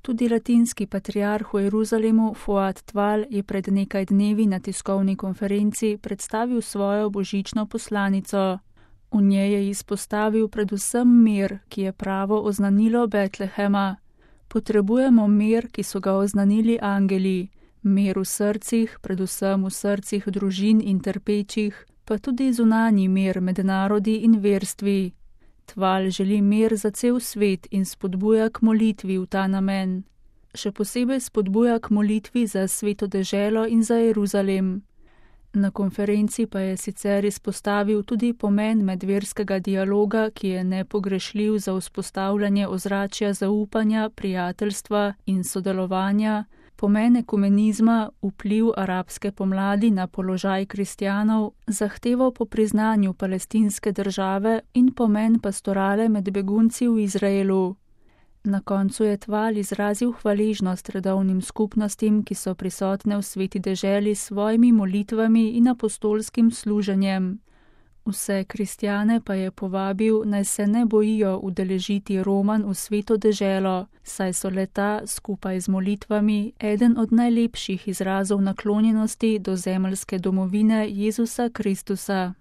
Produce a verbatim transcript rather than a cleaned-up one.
Tudi latinski patriarh v Jeruzalemu Fuad Tval je pred nekaj dnevi na tiskovni konferenci predstavil svojo božično poslanico. V njej je izpostavil predvsem mir, ki je pravo oznanilo Betlehema. Potrebujemo mir, ki so ga oznanili angeli, mir v srcih, predvsem v srcih družin in trpečih, pa tudi zunanji mir med narodi in verstvi. Tval želi mir za cel svet in spodbuja k molitvi v ta namen. Še posebej spodbuja k molitvi za Sveto deželo in za Jeruzalem. Na konferenci pa je sicer izpostavil tudi pomen medverskega dialoga, ki je nepogrešljiv za vzpostavljanje ozračja zaupanja, prijateljstva in sodelovanja, pomen ekumenizma, vpliv arabske pomladi na položaj kristjanov, zahtevo po priznanju palestinske države in pomen pastorale med begunci v Izraelu. Na koncu je Tval izrazil hvaležnost redovnim skupnostim, ki so prisotne v Sveti deželi s svojimi molitvami in apostolskim služenjem. Vse kristjane pa je povabil, naj se ne bojijo udeležiti romanj v Sveto deželo, saj so leta skupaj z molitvami eden od najlepših izrazov naklonjenosti do zemeljske domovine Jezusa Kristusa.